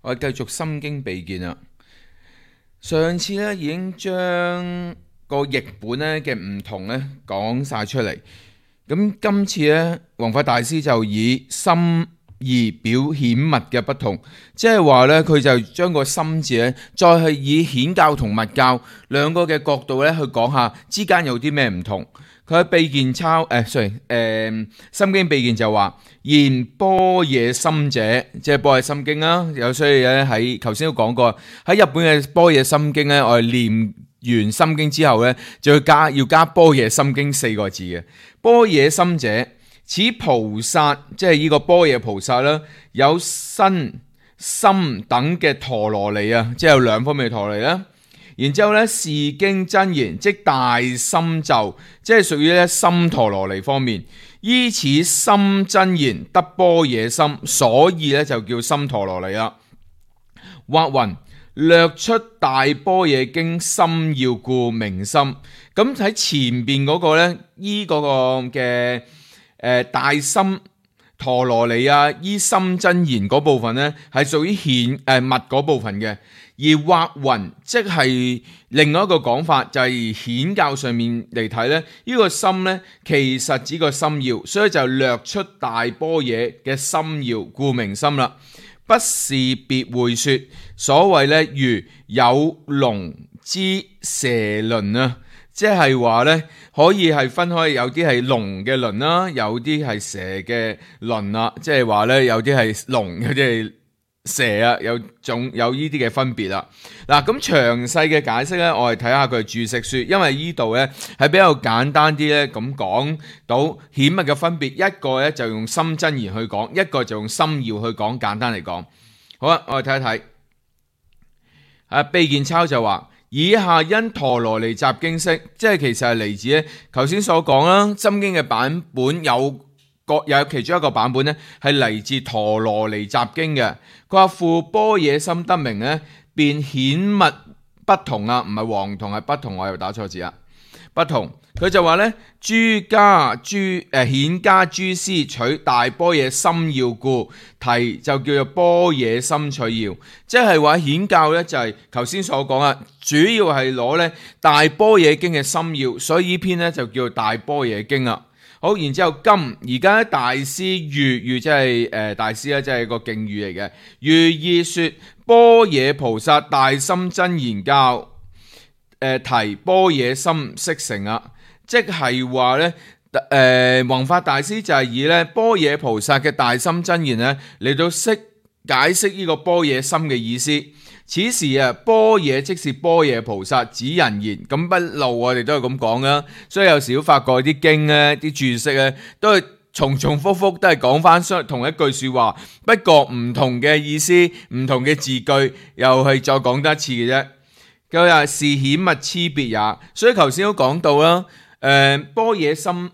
我哋繼續心經秘見啦。上次咧已經將個譯本咧嘅唔同咧講晒出嚟，咁今次咧弘法大師就以心意表顯密嘅不同，即係話咧佢就將個心字咧再係以顯教同密教兩個嘅角度咧去講下之間有啲咩唔同。佢喺秘見心經秘見就話言般若心者，即係般若心經啦。有所以咧喺頭先都講過，喺日本嘅般若心經咧，我哋念完心經之後咧，就要加般若心經4個字嘅。般若心者，此菩薩即係呢個般若菩薩啦，有身心等嘅陀羅尼啊，即係有兩方面嘅陀羅尼啦。然之後咧，是經真言，即大心咒，即係屬於咧心陀羅尼方面。依此心真言得般若心，所以咧就叫心陀羅尼啦。或云略出大般若經心要故名心。咁喺前邊嗰個咧，依嗰個嘅大心陀羅尼啊，依心真言嗰部分咧，係屬於密嗰部分嘅。而或云即係另外一個講法，就係顯教上面嚟睇咧，呢個心咧其實指個心要，所以就略出大般若嘅心要，故名心啦。不是別會說，所謂咧如有龍之蛇鱗啊，即係話咧可以係分開，有啲係龍嘅鱗啦，有啲係蛇嘅鱗啦，即係話咧有啲係龍，有啲係蛇啊，有呢啲嘅分別啦。嗱，咁詳細嘅解釋咧，我哋睇下佢注釋書，因為呢度咧係比較簡單啲咧，咁講到顯密嘅分別，一個咧就用心真言去講，一個就用心要去講。簡單嚟講，好啦，我哋睇一睇。秘見抄就話，以下因陀羅尼集經釋，即係其實係嚟自咧頭先所講啦，心經嘅版本有其中一個版本咧係嚟自陀羅尼集經嘅。佢話父般若心得名咧，便顯密不同啊，唔係黃同，係不同，我又打錯字啊，不同。佢就話咧，顯家諸師取大般若心要故，題就叫做般若心取要，即係話顯教咧就係頭先所講啊，主要係攞咧大般若經嘅心要，所以呢篇咧就叫做大般若經啊。好，然之後而家大師喻即係大師咧，即係個敬語嚟嘅。喻意說般若菩薩大心真言教，提般若心釋成啊，即係話咧弘法大師就係以咧般若菩薩嘅大心真言咧嚟到解釋呢個般若心嘅意思。此時啊，般若即是般若菩薩指人言，咁不嬲我哋都係咁講啦。所以有時都發覺啲經咧、啲注釋咧，都係重複複都係講翻同一句說話，不過唔同嘅意思、唔同嘅字句，又係再講多一次嘅啫。佢話是顯密差別也，所以頭先都講到啦。般若心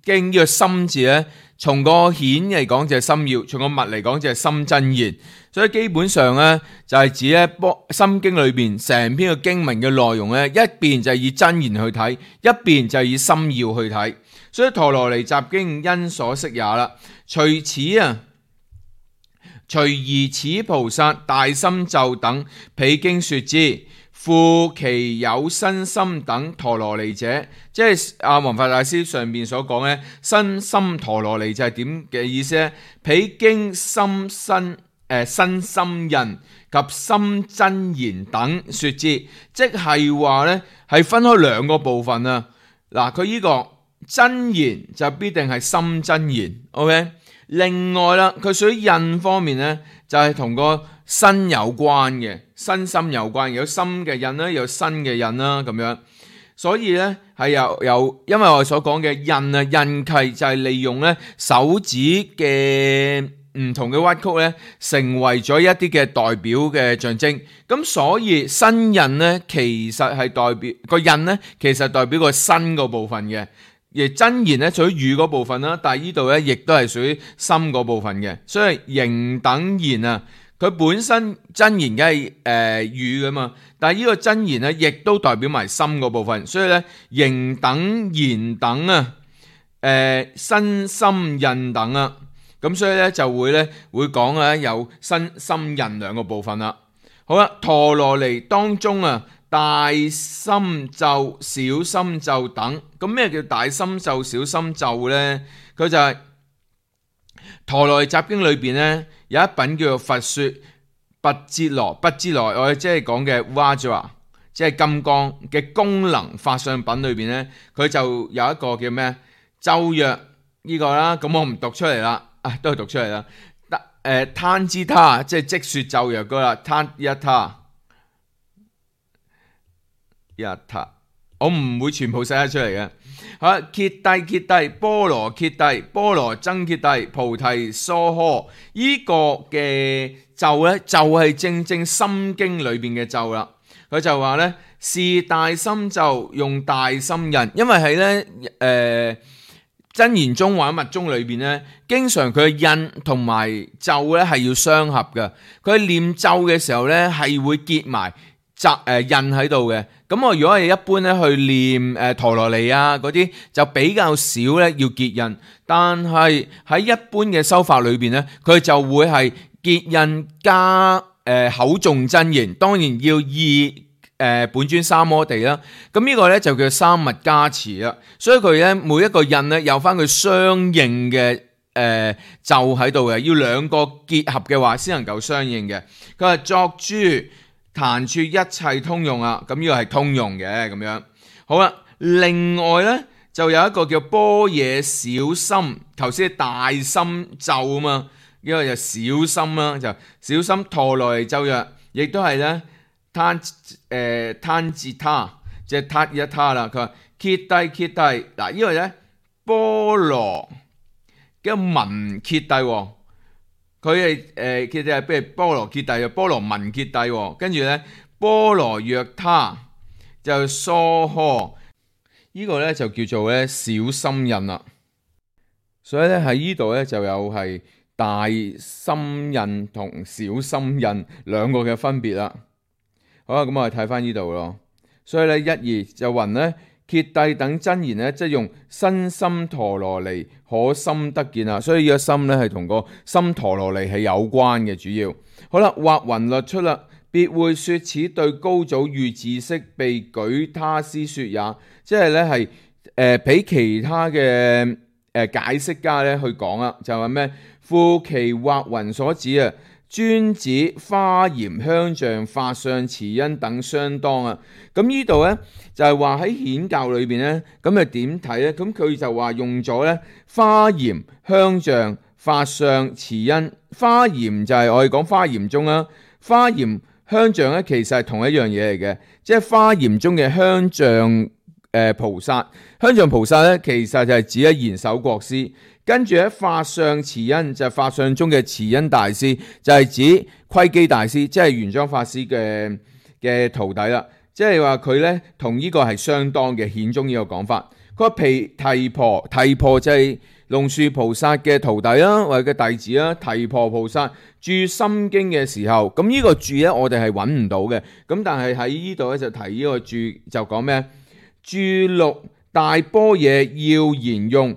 經呢個心字咧，從個顯嚟講就係心要，從個密嚟講就係心真言。所以基本上咧就係指咧心經裏邊成篇嘅經文嘅內容咧，一邊就係以真言去睇，一邊就係以心要去睇。所以陀羅尼集經因所釋也啦。隨而此菩薩大心咒等，彼經說之。復其有身心等陀羅尼者，即係弘法大師上面所講咧，身心陀羅尼就係點嘅意思咧？彼經身心印及心真言等說之，即係話咧係分開兩個部分啊。嗱，佢呢個真言就必定係心真言 ，OK。另外啦，佢屬於印方面咧，就係同個身有關嘅，身心有關，有心嘅印啦，有身嘅印啦，咁樣。所以咧係有，因為我哋所講嘅印啊，印契就係利用咧手指嘅唔同嘅屈曲咧，成為咗一啲嘅代表嘅象徵。咁所以身印咧，其實係代表個印咧，其實代表個身個部分嘅。而真言咧屬於語嗰部分啦，但係呢度咧亦都係屬於心嗰部分嘅，所以形等言啊，佢本身真言梗係語噶嘛，但係呢個真言咧亦都代表埋心嗰部分，所以咧形等言等啊，身心印等啊，咁所以咧就會講咧有身心印兩個部分啦。好啦，陀羅尼當中啊，大心咒、小心咒等。咁咩叫大心咒、小心咒呢？佢就係陀羅尼集經裏邊呢，有一品叫做佛說跋哲羅，跋哲羅我哋即係講嘅 Vajra， 即係金剛嘅功能法相品裏邊呢，佢就有一個叫咩咒曰呢個啦。咁我唔讀出嚟啦，都係讀出嚟啦。攤之他即係即說咒曰嗰啦，攤一他一他，我唔會全部寫得出嚟嘅。好，揭諦揭諦，波羅揭諦，波羅僧揭諦，菩提薩訶。呢個嘅咒呢，就係正正心經裏邊嘅咒啦。佢就話呢，是大心咒，用大心印，因為喺呢真言宗或者密宗裏邊呢，經常佢嘅印同埋咒呢係要相合嘅。佢念咒嘅時候呢，係會結埋印喺度嘅。咁我如果係一般呢去念陀羅尼啊嗰啲，就比較少呢要結印。但係喺一般嘅修法裏邊呢，佢就會係結印加口誦真言，當然要意本尊三摩地啦。咁呢個呢就叫三密加持啦。所以佢呢每一個印呢有翻佢相應嘅咒喺度嘅，要兩個結合嘅話先能夠相應嘅。佢話作諸壇處一切通用啊，咁呢個係通用嘅咁樣。好啦，另外呢就有一個叫般若小心，頭先大心咒啊嘛，呢個就小心啦，就小心陀羅尼咒曰，亦都係呢攤之他，即係撻一他啦。佢話揭諦揭諦，嗱呢個呢波羅嘅文揭諦。佢係揭諦，譬如波羅揭諦，波羅文揭諦，跟住咧波羅若他就娑訶，呢個咧就叫做咧小心印啦。所以咧喺呢度咧就有係大心印同小心印兩個嘅分別啦。好啦，咁我哋睇翻呢度咯。所以咧一二就云咧。揭諦等真言呢，即係用身心陀羅尼可心得見啊，所以呢個心呢係同個心陀羅尼係有關嘅主要。好啦，或云律出啦，別會說此對高祖遇自識被舉他師說也，即係呢係俾其他嘅解釋家呢去講啦，就係咩？夫其或云所指啊，專指華嚴香象法相慈恩等相當啊。咁呢度呢，就係話喺顯教裏邊呢，咁啊點睇呢？咁佢就話用咗呢華嚴香象法相慈恩。華嚴就係我哋講華嚴宗啦，華嚴香象呢，其實係同一樣嘢嚟嘅，即係華嚴宗嘅香象菩薩。香象菩薩呢，其實就係指喺賢首國師。跟住喺法相慈恩就係法相中嘅慈恩大師，就係指窺基大師，即係玄奘法師嘅徒弟啦。即係話佢呢同呢個係相當嘅顯宗呢個講法。佢話提婆就係龍樹菩薩嘅徒弟啦，或者嘅弟子啦。提婆菩薩注心經嘅時候，咁呢個注呢我哋係揾唔到嘅。咁但係喺呢度呢就提呢個注就講咩？注錄大般若要言用。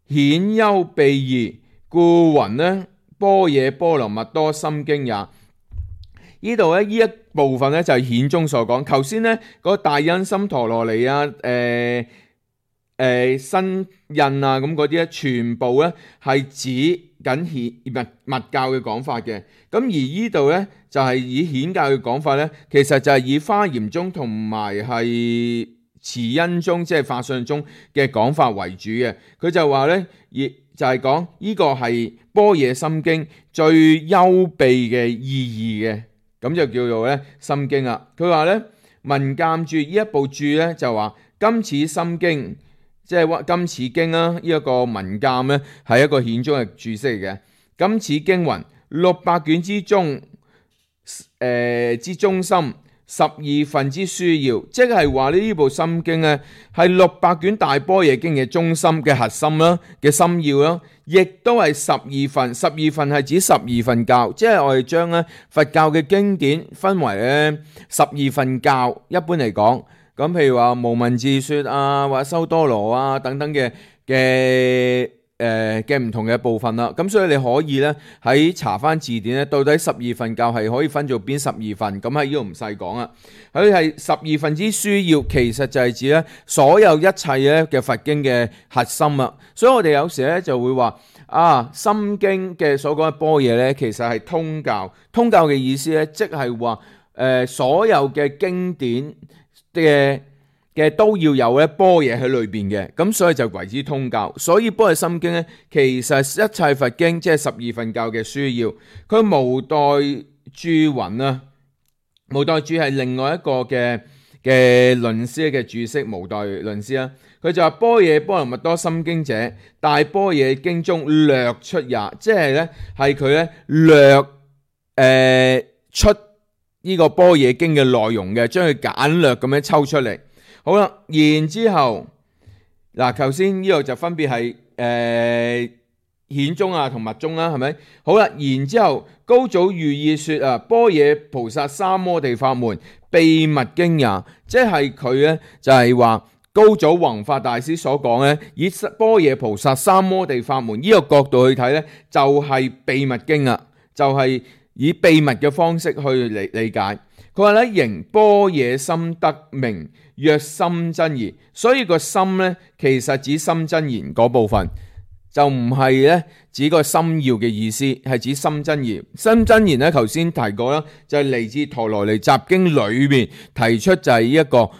顯幽秘義，故云呢般若波羅蜜多心經也。呢度呢，呢一部分呢，就係顯宗所講。頭先呢嗰個大恩心陀羅尼啊，身印啊咁嗰啲呢，全部呢係指緊密教嘅講法嘅。咁而呢度呢，就係以顯教嘅講法呢，其實就係以華嚴宗同埋係慈恩宗即係法相宗嘅講法為主嘅。佢就話呢，亦就係講呢個係般若心經最幽秘嘅意義嘅，咁就叫做呢心經啦。佢話呢，文鑑注呢一部注呢，就話今此心經即係今此經啦，呢一個文鑑呢，係一個顯宗嘅注釋嚟嘅。今此經云600卷之中之中心。12分之書要，即係話呢部心經呢係600卷大般若經嘅中心嘅核心啦，嘅心要啦，亦都係12分。12分係指12分教，即係我哋將呢佛教嘅經典分為呢12分教。一般嚟講，咁譬如話無文字說啊，或者修多羅啊等等嘅嘅唔同嘅部分啦。咁所以你可以咧喺查翻字典咧，到底十二分教係可以分做邊十二份？咁喺呢度唔細講啦。佢係十二分之書要，其實就係指咧所有一切咧嘅佛經嘅核心啊。所以我哋有時咧就會話心經嘅所講嘅般若咧，其實係通教。通教嘅意思咧，即係話所有嘅經典嘅都要有咧般若喺裏邊嘅，咁所以就為之通教。所以般若心經咧，其實一切佛經即係十二分教嘅書要。佢無代注雲啊，無代注係另外一個嘅論師嘅注釋，無代論師啊。佢就話般若波羅蜜多心經者，大般若經中略出也，即係咧係佢咧略出呢個般若經嘅內容嘅，將佢簡略咁樣抽出嚟。好啦，然之後嗱，頭先呢度就分別係顯宗同密宗啦，係咪？好啦，然之後高祖寓意說般若菩薩三摩地法門秘密經也，即係佢咧就係話高祖弘法大師所講咧，以般若菩薩三摩地法門呢個角度去睇咧，就係秘密經啊，就係以秘密嘅方式去理解。佢話咧，仍般若心得名，曰心真言。所以個心咧，其實指心真言嗰部分，就唔係咧指個心要嘅意思，係指心真言。心真言咧，頭先提過啦，就係嚟自陀羅尼集經裏面提出，就係呢一個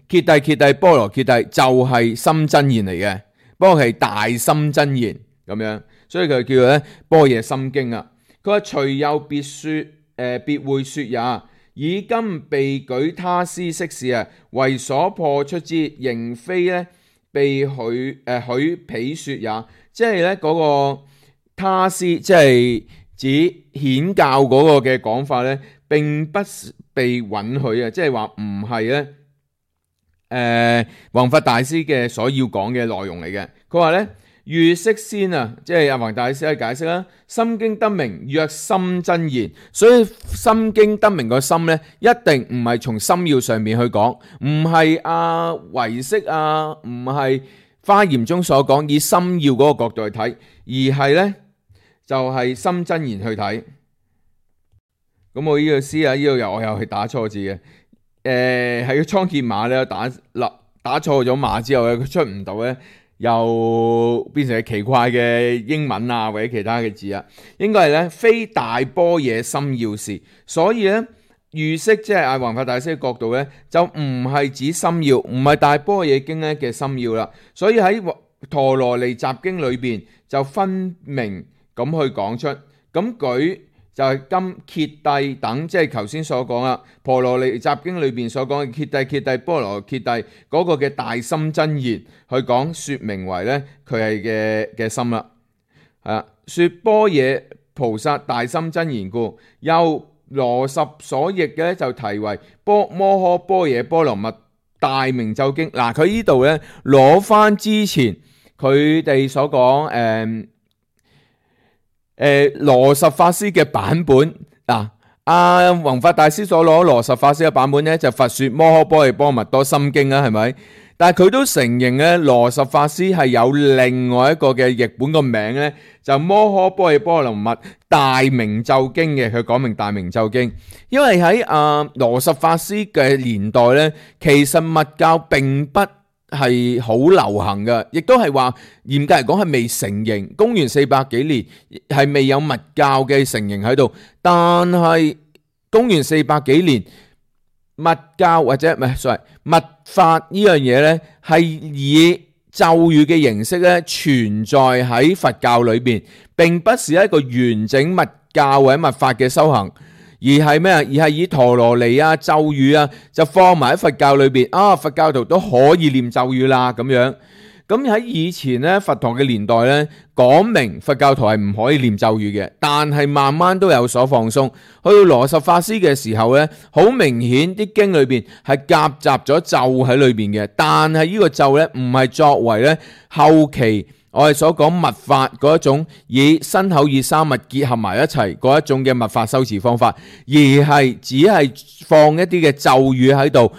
揭諦揭諦波羅揭諦，就係心真言嚟嘅，不過係大心真言咁樣，所以佢叫做咧般若心經啊。佢話隨有別說。別會說也，以今被舉他師釋事為所破出之，仍非咧被許彼說也。即係咧嗰個他師，即係指顯教嗰個嘅講法咧，並不被允許啊！即係話唔係咧弘法大師嘅所要講嘅內容嚟嘅。佢話咧。欲釋先即係阿弘大師去解釋啦。心經得名曰心真言，所以心經得名個心咧，一定唔係從心要上面去講，唔係唯識唔係華嚴中所講以心要嗰個角度去睇，而係咧就係心真言去睇。咁我呢個詩呢度我又係打錯字嘅，係個倉頡碼咧打錯咗碼之後咧，佢出唔到咧。又變成奇怪嘅英文或者其他嘅字應該係咧非大般若心要事，所以咧欲釋即係弘法大師嘅角度咧，就唔係指心要，唔係大般若經咧嘅心要啦。所以喺陀羅尼集經裏邊就分明咁去講出，咁舉就係今揭諦等，即係頭先所講啦，陀羅尼集經裏邊所講嘅揭諦揭諦波羅揭諦嗰個嘅大心真言去講，說明為咧佢係嘅心啦。說般若菩薩大心真言故，又羅什所譯嘅就題為摩訶般若波羅蜜大明咒經。嗱，佢呢度咧攞翻之前佢哋所講羅什法師嘅版本弘法大師所攞羅什法師嘅版本咧，就佛說摩訶般若波羅蜜多心經啦，係咪？但係佢都承認咧，羅什法師係有另外一個嘅譯本個名咧，就摩訶般若波羅蜜大明咒經嘅。佢講明大明咒經，因為喺羅什法師嘅年代咧，其實密教並不係好流行嘅，亦都係話嚴格嚟講係未成形。公元400幾年係未有密教嘅成形喺度，但係公元400幾年密教或者密法呢樣嘢呢，係以咒語嘅形式咧存在喺佛教裏邊，並不是一個完整密教或者密法嘅修行。而係咩？而係以陀羅尼咒語就放埋喺佛教裏邊佛教徒都可以念咒語啦咁樣。咁喺以前咧，佛陀嘅年代咧，講明佛教徒係唔可以念咒語嘅，但係慢慢都有所放鬆。去到羅什法師嘅時候咧，好明顯啲經裏邊係夾雜咗咒喺裏邊嘅，但係呢個咒咧唔係作為咧後期我哋所講密法嗰一種以身口意三密結合埋一齊嗰一種嘅密法修持方法，而係只係放一啲嘅咒語喺度，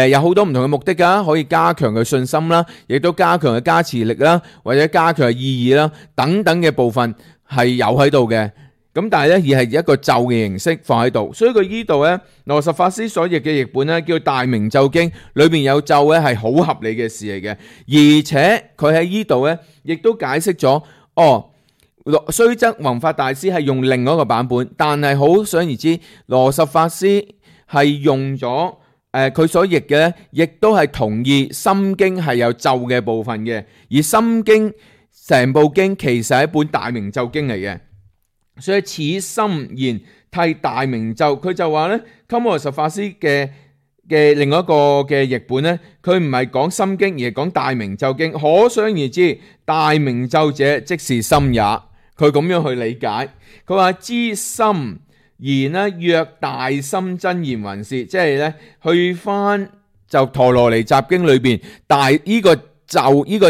有好多唔同嘅目的㗎，可以加強佢信心啦，亦都加強佢加持力啦，或者加強佢意義啦，等等嘅部分係有喺度嘅。咁但係咧，而係一個咒嘅形式放喺度，所以佢呢度咧，羅什法師所譯嘅譯本咧叫《大明咒經》，裏面有咒咧係好合理嘅事嚟嘅，而且佢喺呢度咧亦都解釋咗，雖則弘法大師係用另外一個版本，但係可想而知，羅什法師係用咗佢所譯嘅咧，亦都係同意《心經》係有咒嘅部分嘅，而《心經》成部經其實係一本大明咒經嚟嘅。所以此心言替大明咒，佢就話咧，鳩摩羅什法師嘅另外一個嘅譯本咧，佢唔係講心經，而係講大明咒經。可想而知，大明咒者即是心也。佢咁樣去理解，佢話知心言呢，若大心真言云是，即係咧去翻就陀羅尼集經裏邊大呢個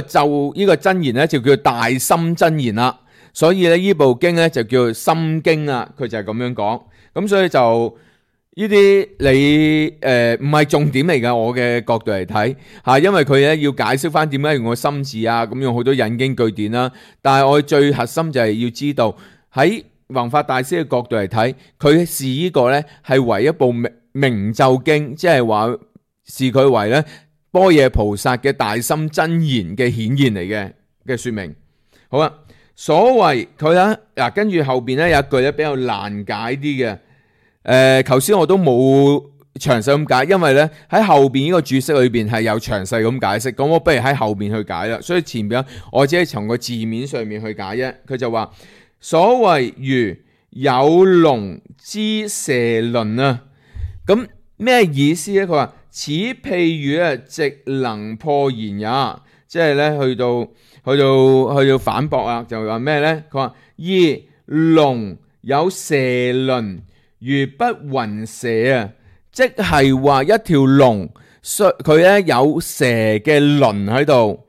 真言咧就叫大心真言啦。所以咧，呢部經咧就叫心經啊，佢就係咁樣講。咁所以就呢啲你唔係重點嚟㗎，我嘅角度嚟睇嚇，因為佢咧要解釋翻點解用個心字啊，咁用好多引經據典啦。但係我最核心就係要知道喺弘法大師嘅角度嚟睇，佢視呢個咧係為一部明咒經，即係話視佢為咧般若菩薩嘅大心真言嘅顯現嚟嘅說明。好啊。所謂佢咧嗱，跟住後邊咧有一句咧比較難解啲嘅，頭先我都冇詳細咁解，因為咧喺後邊呢個注釋裏邊係有詳細咁解釋，咁我不如喺後邊去解啦。所以前邊我只係從個字面上面去解啫。佢就話所謂如有龍之蛇鱗啊，咁咩意思咧？佢話此譬喻啊，直能破言也，即係咧去到反駁啊，就話咩咧？佢話二龍有蛇鱗，如不雲蛇啊，即係話一條龍，佢咧有蛇嘅鱗喺度，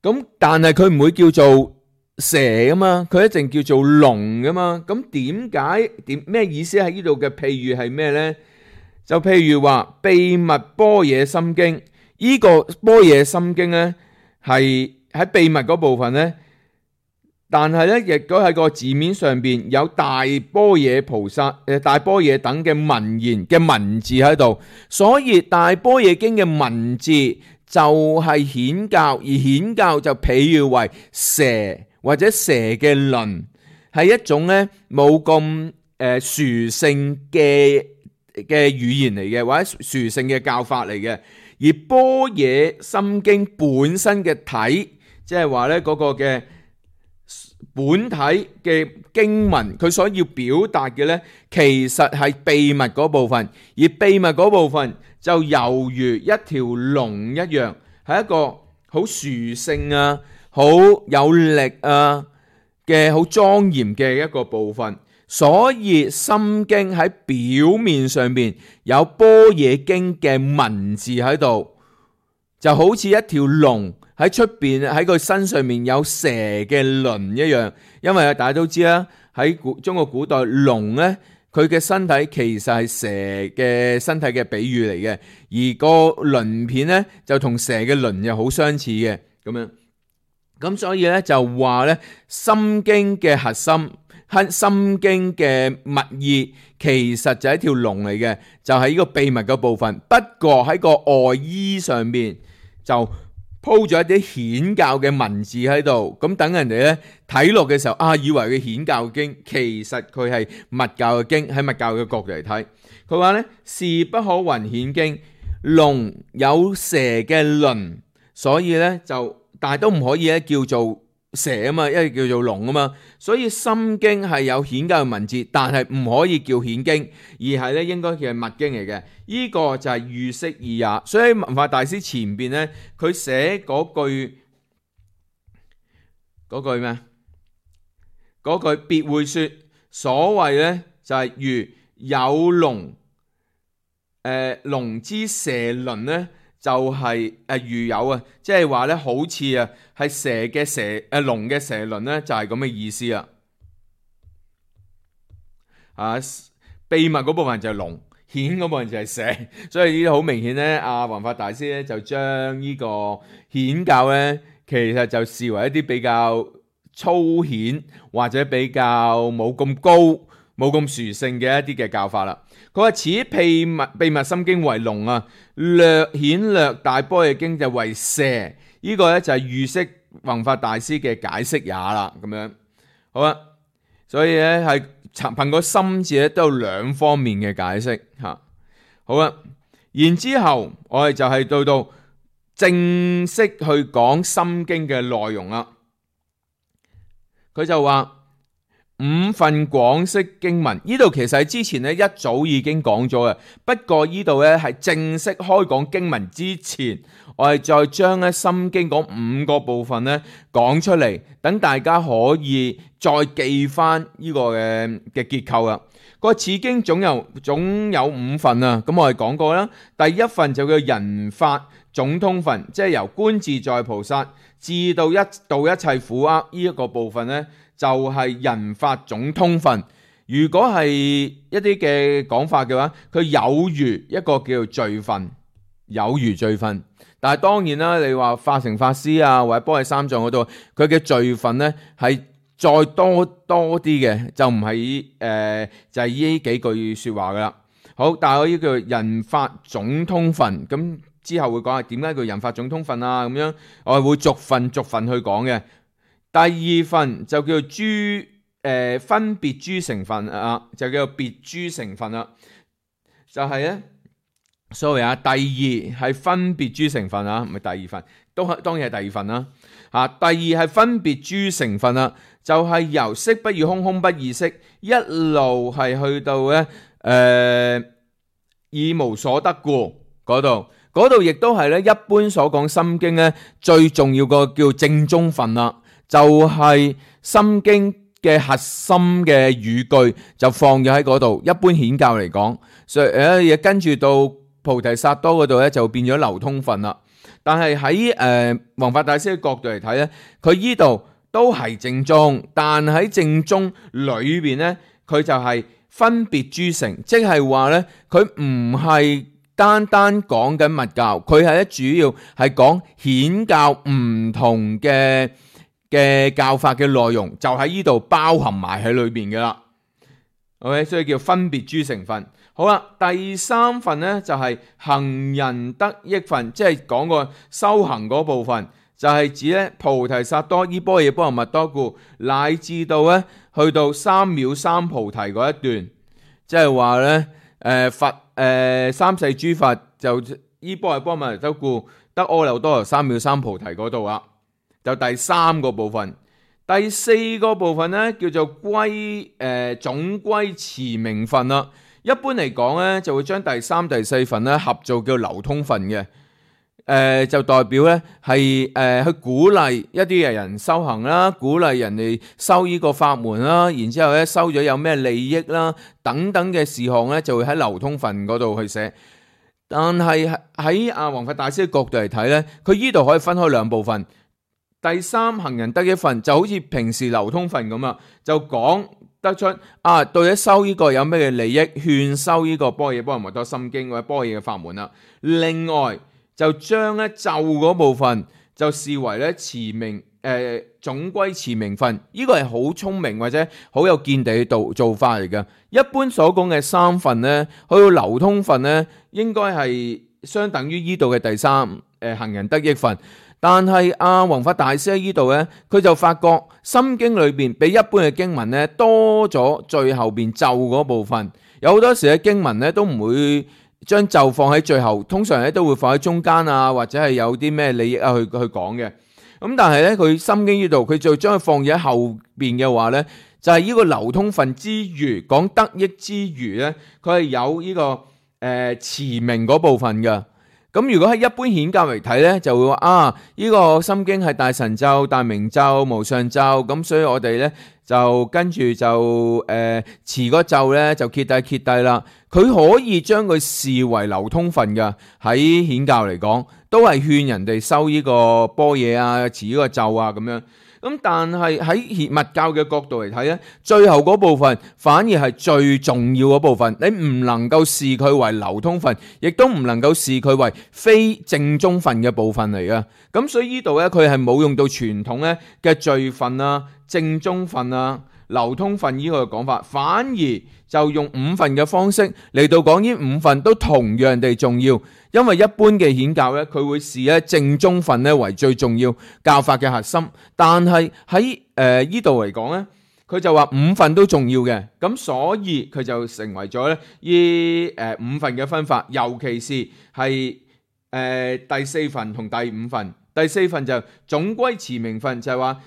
咁但係佢唔會叫做蛇噶嘛，佢一定叫做龍噶嘛。咁咩意思喺呢度嘅譬喻係咩咧？就譬如話秘密般若心經。呢個般若心經咧係喺秘密嗰部分咧，但係咧亦都喺個字面上邊有大般若菩薩大般若等嘅文言嘅文字喺度，所以大般若經嘅文字就係顯教，而顯教就譬喻為蛇或者蛇嘅鱗，係一種咧冇咁殊勝嘅語言嚟嘅，或者殊勝嘅教法嚟嘅。而般若心經本身嘅體，即係話咧嗰個嘅本體嘅經文，佢所要表達嘅咧，其實係秘密嗰部分，而秘密嗰部分就猶如一條龍一樣，係一個好殊勝啊、好有力啊嘅好莊嚴嘅一個部分。所以心經喺表面上邊有般若經嘅文字喺度，就好似一條龍喺出邊喺佢身上面有蛇嘅鱗一樣。因為大家都知啦，喺中國古代龍咧，佢嘅身體其實係蛇嘅身體嘅比喻嚟嘅，而個鱗片咧就同蛇嘅鱗又好相似嘅咁樣。咁所以咧就話咧心經嘅核心。心經嘅密意其實就係一條龍嚟嘅，就係呢個秘密嘅部分。不過喺個外衣上面就鋪咗一啲顯教嘅文字喺度，咁等人哋咧睇落嘅時候以為佢顯教經，其實佢係密教嘅經。喺密教嘅角度嚟睇，佢話咧是不可云顯經，龍有蛇嘅鱗，所以咧就但係都唔可以咧叫做蛇啊嘛，因為叫做龍啊嘛，所以心經係有顯教嘅文字，但係唔可以叫顯經，而係咧應該叫係密經嚟嘅。呢個就係喻釋義也。所以文化大師前邊咧，佢寫嗰句咩？嗰句別會說，所謂咧就係如有龍，龍之蛇鱗咧。就係如有啊，即係話咧，好似啊，係蛇嘅龍嘅蛇鱗咧，就係咁嘅意思啦。秘密嗰部分就係龍，顯嗰部分就係蛇，所以呢啲好明顯咧，阿弘法大師咧就將呢個顯教咧，其實就視為一啲比較粗顯或者比較冇咁高、冇咁殊勝嘅一啲嘅教法啦。佢話此秘密心經為龍啊，略顯略大般若經就為蛇，呢個咧就係預釋弘法大師嘅解釋也啦。咁樣好啦，所以咧係憑個心字咧都有兩方面嘅解釋嚇。好啦，然之後我哋就係到正式去講心經嘅內容啦。佢就話五分廣釋經文，呢度其實喺之前咧一早已經講咗嘅，不過呢度咧係正式開講經文之前，我哋再將咧心經嗰五個部分咧講出嚟，等大家可以再記翻呢個嘅結構啦。個此經總有五分啊，咁我哋講過啦。第一份就叫人法總通分，即係由觀自在菩薩至到度一切苦厄呢一個部分呢，就係人法總通分。如果係一啲嘅講法嘅話，佢有如一個叫做序分，有如序分。但係當然啦，你話化成法師啊，或者般若三藏嗰度，佢嘅序分呢係再多啲嘅，就唔係就係呢幾句說話噶啦。好，但係我呢個人法總通分，咁之後會講係點解叫人法總通分啊？咁樣我係會逐份去講嘅。第二份就叫做分別諸成分啊，就叫做別諸成分啦。就係咧，sorry啊，第二係分別諸成分啊，唔係第二份，當然係第二份啦。第二係分別諸成分啦，就係由色不異空，空不異色，一路係去到咧以無所得故嗰度亦都係咧一般所講心經咧最重要個叫正宗分啦，就係心經嘅核心嘅語句就放咗喺嗰度。一般顯教嚟講，所以跟住到菩提薩埵嗰度咧就變咗流通分啦。但係喺弘法大師嘅角度嚟睇咧，佢依度都係正宗，但喺正宗裏邊咧，佢就係分別諸成，即係話咧，佢唔係單講緊密教，佢係咧主要係講顯教唔同嘅教法嘅內容，就喺呢度包含埋喺裏邊嘅啦。OK， 所以叫分別諸成分。好啦，第三份呢就係行人得益分，即係講個修行嗰部分，就係指咧菩提薩埵依般若波羅蜜多故，乃至到咧去到三藐三菩提嗰一段，即係話咧佛三世諸佛就依般若波羅蜜多故得阿耨多羅三藐三菩提嗰度啦，就第三個部分。第四個部分咧叫做總歸持名分啦。一般嚟講咧，就會將第三、第四份咧合做叫流通分嘅，就代表咧係去鼓勵一啲嘅人修行啦，鼓勵人哋修呢個法門啦，然之後咧收咗有咩利益啦，等等嘅事項咧，就會喺流通分嗰度去寫。但係喺阿弘法大師嘅角度嚟睇咧，佢依度可以分開兩部分。第三行人得益分就好似平時流通分咁啊，就講得出到底修呢個有咩嘅利益，勸修呢個般若波羅蜜多心經或者般若嘅法門啦。另外就將咧咒嗰部分就視為咧持名總歸持名分，呢個係好聰明或者好有見地嘅做法嚟嘅。一般所講嘅三分咧，去到流通分咧，應該係相等於呢度嘅第三行人得益分。但係阿弘法大師喺呢度咧，佢就發覺心經裏邊比一般嘅經文咧多咗最後邊咒嗰部分。有好多時嘅經文咧都唔會將咒放喺最後，通常咧都會放喺中間啊，或者係有啲咩利益啊去講嘅。咁但係咧佢心經呢度佢就將佢放喺後邊嘅話咧，就係呢個流通分之餘講得益之餘咧，佢係有呢個持名嗰部分嘅。咁如果喺一般顯教嚟睇咧，就會話呢個心經係大神咒、大明咒、無上咒，咁所以我哋咧就跟住就持嗰咒咧就揭底啦。佢可以將佢視為流通分嘅，喺顯教嚟講，都係勸人哋修呢個般若啊、持呢個咒啊咁樣。咁但係喺佛教嘅角度嚟睇咧，最後嗰部分反而係最重要嗰部分，你唔能夠視佢為流通分，亦都唔能夠視佢為非正宗分嘅部分嚟嘅。咁所以呢度咧，佢係冇用到傳統咧嘅序分啊、正宗分啊、流通分呢個講法，反而就用五分嘅方式嚟到講，呢五分都同樣地重要。因為一般嘅顯教咧，佢會視咧正宗分咧為最重要教法嘅核心，但係喺呢度嚟講咧，佢就話五分都重要嘅，咁所以佢就成為咗咧呢五分嘅分法，尤其是係第四分同第五分。第四分就總歸持名分，就係話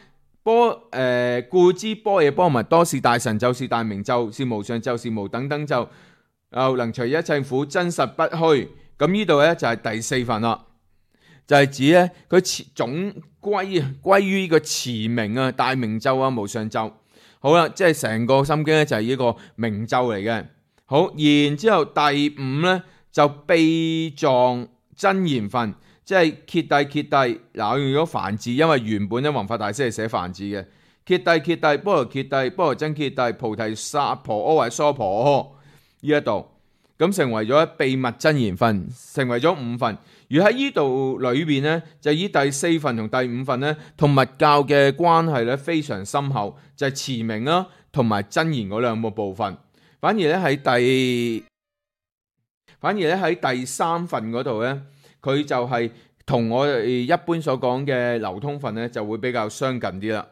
故知般若波羅蜜多是大神咒，是大明咒，是無上咒，是無等等咒，能除一切苦，真實不虛。咁呢度咧就係第四分啦，就係指咧佢總歸於呢個持名啊、大明咒啊、無上咒。好啦，即係成個心經咧就係呢個明咒嚟嘅。好，然之後第五咧就秘藏真言分，即係揭諦揭諦。嗱，我用咗梵字，因為原本咧弘法大師係寫梵字嘅。揭諦揭諦，般若揭諦，般若真揭諦，菩提薩婆訶或者娑婆訶呢一度。咁成為咗秘密真言分，成為咗五分。而喺呢度裏邊呢，就以第四分同第五分呢，同密教嘅關係咧非常深厚，就係持名啦，同埋真言嗰兩個部分。反而咧喺第三分嗰度呢，佢就係同我哋一般所講嘅流通分呢，就會比較相近啲啦。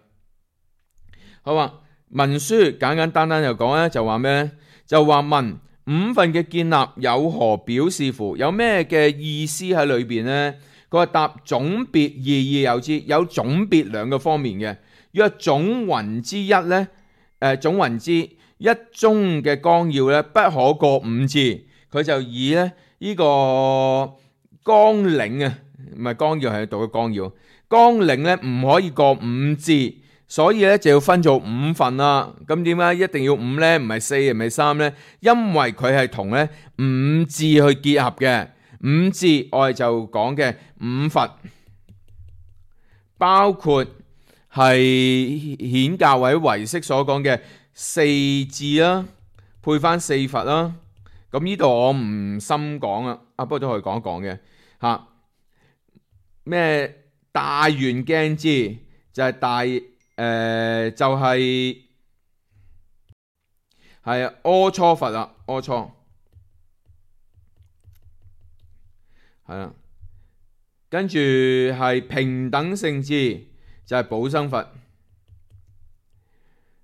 好啊，文書簡簡單單就講咧，就話咩咧？就話問五分嘅建立有何表示乎？有咩嘅意思喺裏邊呢？佢話答總別意有之，有總別兩個方面嘅。若總云之一呢，總云之一宗嘅綱要呢，不可過五字。佢就以咧呢個綱領啊，唔係綱要，係讀嘅綱要。綱領呢唔可以過五字。所以咧就要分做五份啦。咁點解一定要五呢？唔係四，唔係三呢？因為佢係同咧五字去結合嘅。五字我哋就講嘅五佛，包括係顯教或者唯識所講嘅四字啦，配翻四佛啦。咁呢度我唔深講啦，不過都可以講一講嘅嚇。咩大圓鏡字就係大。就係阿閦佛啦，阿閦係啦，跟住係平等性智就係寶生佛，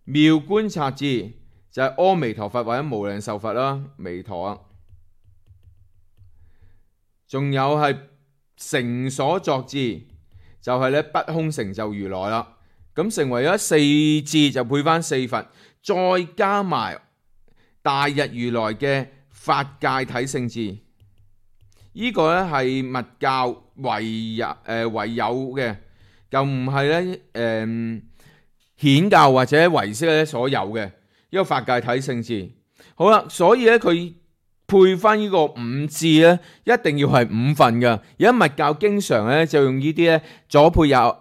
妙觀察智就係阿彌陀佛或者無量壽佛啦，彌陀啊，仲有係成所作智就係咧不空成就如來啦。咁成為咗四字就配翻四佛，再加埋大日如來嘅法界體性智，呢個咧係密教唯有嘅，就唔係咧顯教或者唯識咧所有嘅呢個法界體性智。好啦，所以咧佢配翻呢個五字咧，一定要係五份㗎。而家密教經常咧就用呢啲咧左配右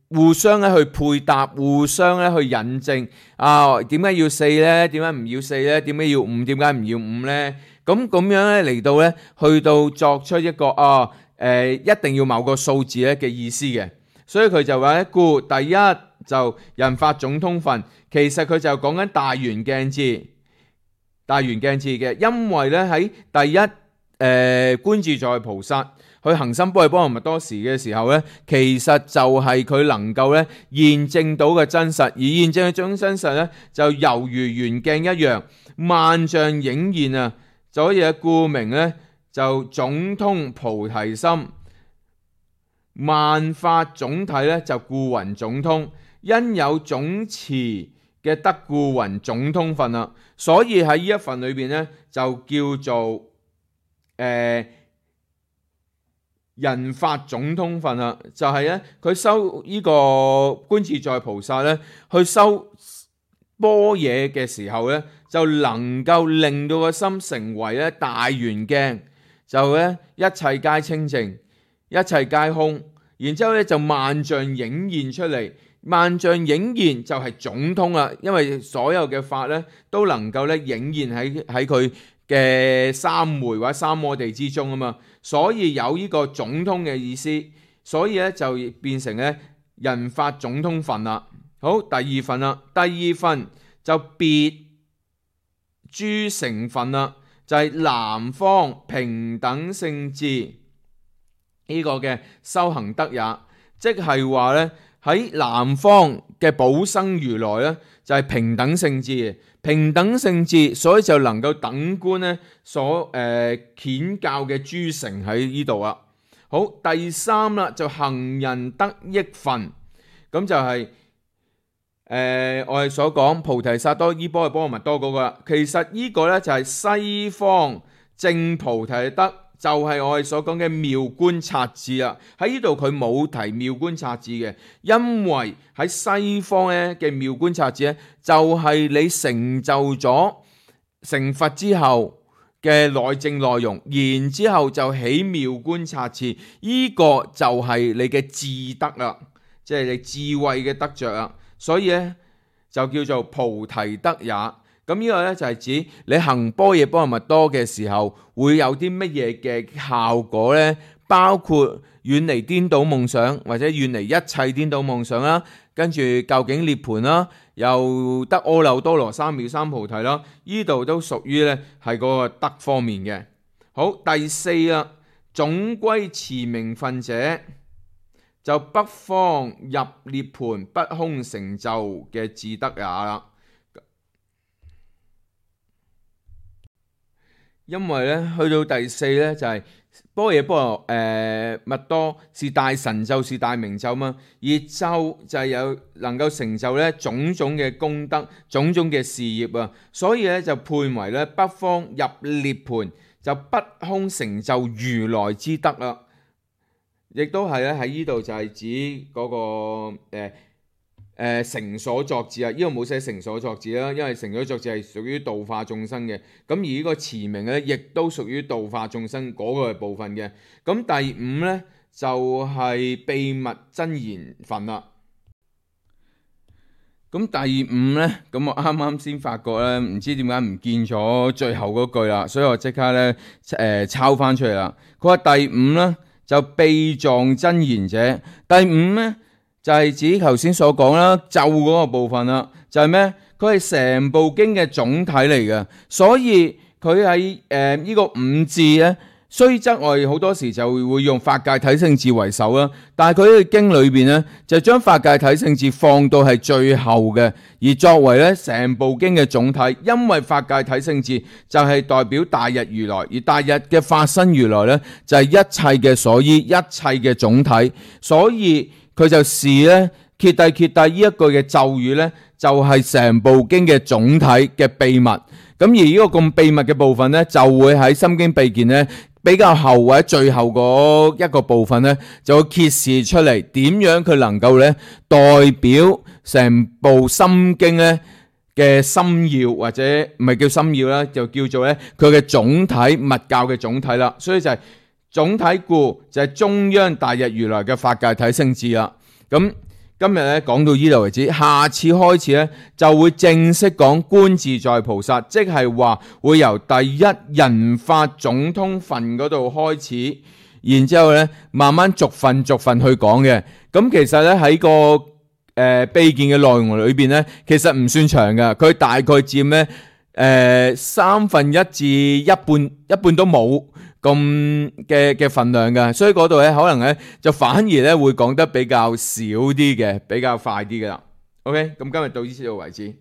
互相咧去配搭，互相咧去引證啊。點解要四呢？點解唔要四呢？點解要五？點解唔要五呢？咁樣咧嚟到咧，去到作出一個一定要某個數字咧嘅意思嘅。所以佢就話咧，故第一就人法總通分，其實佢就講緊大圓鏡智，大圓鏡智嘅，因為咧喺第一觀自在菩薩。佢行深般若波羅蜜多時嘅時候咧，其實就係佢能夠咧驗證到嘅真實，而驗證嘅種真實咧就猶如圓鏡一樣，萬象映現啊！所以故名咧就總通菩提心，萬法總體咧就故云總通，因有總持嘅得故云總通分啦。所以喺呢一份裏邊咧就叫做人法總通分啦，就係咧佢修呢個觀自在菩薩咧，去修般若嘅時候咧，就能夠令到個心成為咧大圓鏡，就咧一切皆清淨，一切皆空，然之後咧就萬象映現出嚟。萬象映現就係總統啦，因為所有嘅法咧都能夠咧映現喺佢嘅三昧或者三摩地之中啊嘛，所以有呢個總統嘅意思，所以咧就變成咧人法總統分啦。好，第二份啦，第二份就別諸成分啦，就係南方平等性智呢個嘅修行德也，即係話咧。喺南方嘅寶生如來咧，就係平等性智嘅，平等性智，所以就能夠等觀咧所顯教嘅諸成喺呢度啊。好，第三啦，就行人得益分，咁就係我哋所講菩提薩埵依波嘅波羅蜜多嗰個啦。其實呢個咧就係西方證菩提德。就係我哋所講嘅妙觀察智啦，喺呢度佢冇提妙觀察智嘅，因為喺西方咧嘅妙觀察智咧，就係你成就咗成佛之後嘅內證內容，然之後就起妙觀察智，呢個就係你嘅智德啦，即係你智慧嘅得着啦，所以咧就叫做菩提德也。咁呢個咧就係指你行般若波羅蜜多嘅時候會有啲乜嘢嘅效果呢？包括遠離顛倒夢想，或者遠離一切顛倒夢想啦，跟住究竟涅槃啦，又得阿耨多羅三藐三菩提啦，呢度都屬於咧係嗰個德方面嘅。好，第四啦，總歸持名分者，就北方入涅槃不空成就嘅智德也啦。因為咧去到第四咧就係般若波羅蜜多是大神咒，是大明咒嘛，而咒就係有能夠成就咧種種嘅功德，種種嘅事業啊，所以咧就判為咧北方入涅槃就不空成就如來之德啦，亦都係咧喺呢度就係指嗰個成所作智啊，呢度冇寫成所作智啦，因為成所作智係屬於度化眾生嘅，咁而呢個持名咧，亦都屬於度化眾生嗰個部分嘅。咁第五咧就係秘密真言分啦。咁第五咧，咁我啱啱先發覺咧，唔知點解唔見咗最後嗰句啦，所以我即刻咧抄翻出嚟啦。佢話第五咧就秘藏真言者，第五咧。就係指頭先所講啦，咒嗰個部分啦，就係咩？佢係成部經嘅總體嚟嘅，所以佢喺呢個五智咧，雖則我哋好多時就會用法界體性智為首啦，但係佢呢個經裏邊咧，就將法界體性智放到係最後嘅，而作為咧成部經嘅總體，因為法界體性智就係代表大日如來，而大日嘅法身如來咧就係一切嘅所依，一切嘅總體，所以。佢就視咧揭諦揭諦呢一句嘅咒語咧，就係成部經嘅總體嘅秘密。咁而呢個咁秘密嘅部分咧，就會喺心經秘見咧比較後或者最後嗰一個部分咧，就會揭示出嚟點樣佢能夠咧代表成部心經咧嘅心要，或者唔係叫心要啦，就叫做咧佢嘅總體密教嘅總體啦。所以就係。總體故就係中央大日如來嘅法界體性智啦。咁今日咧講到呢度為止，下次開始咧就會正式講觀自在菩薩，即係話會由第一人法總統分嗰度開始，然之後咧慢慢逐份去講嘅。咁其實咧喺個秘見嘅內容裏邊咧，其實唔算長噶，佢大概佔咧1/3至一半都冇。咁嘅份量嘅，所以嗰度咧可能咧就反而咧會講得比較少啲嘅，比較快啲嘅啦。OK，咁今日到呢度為止。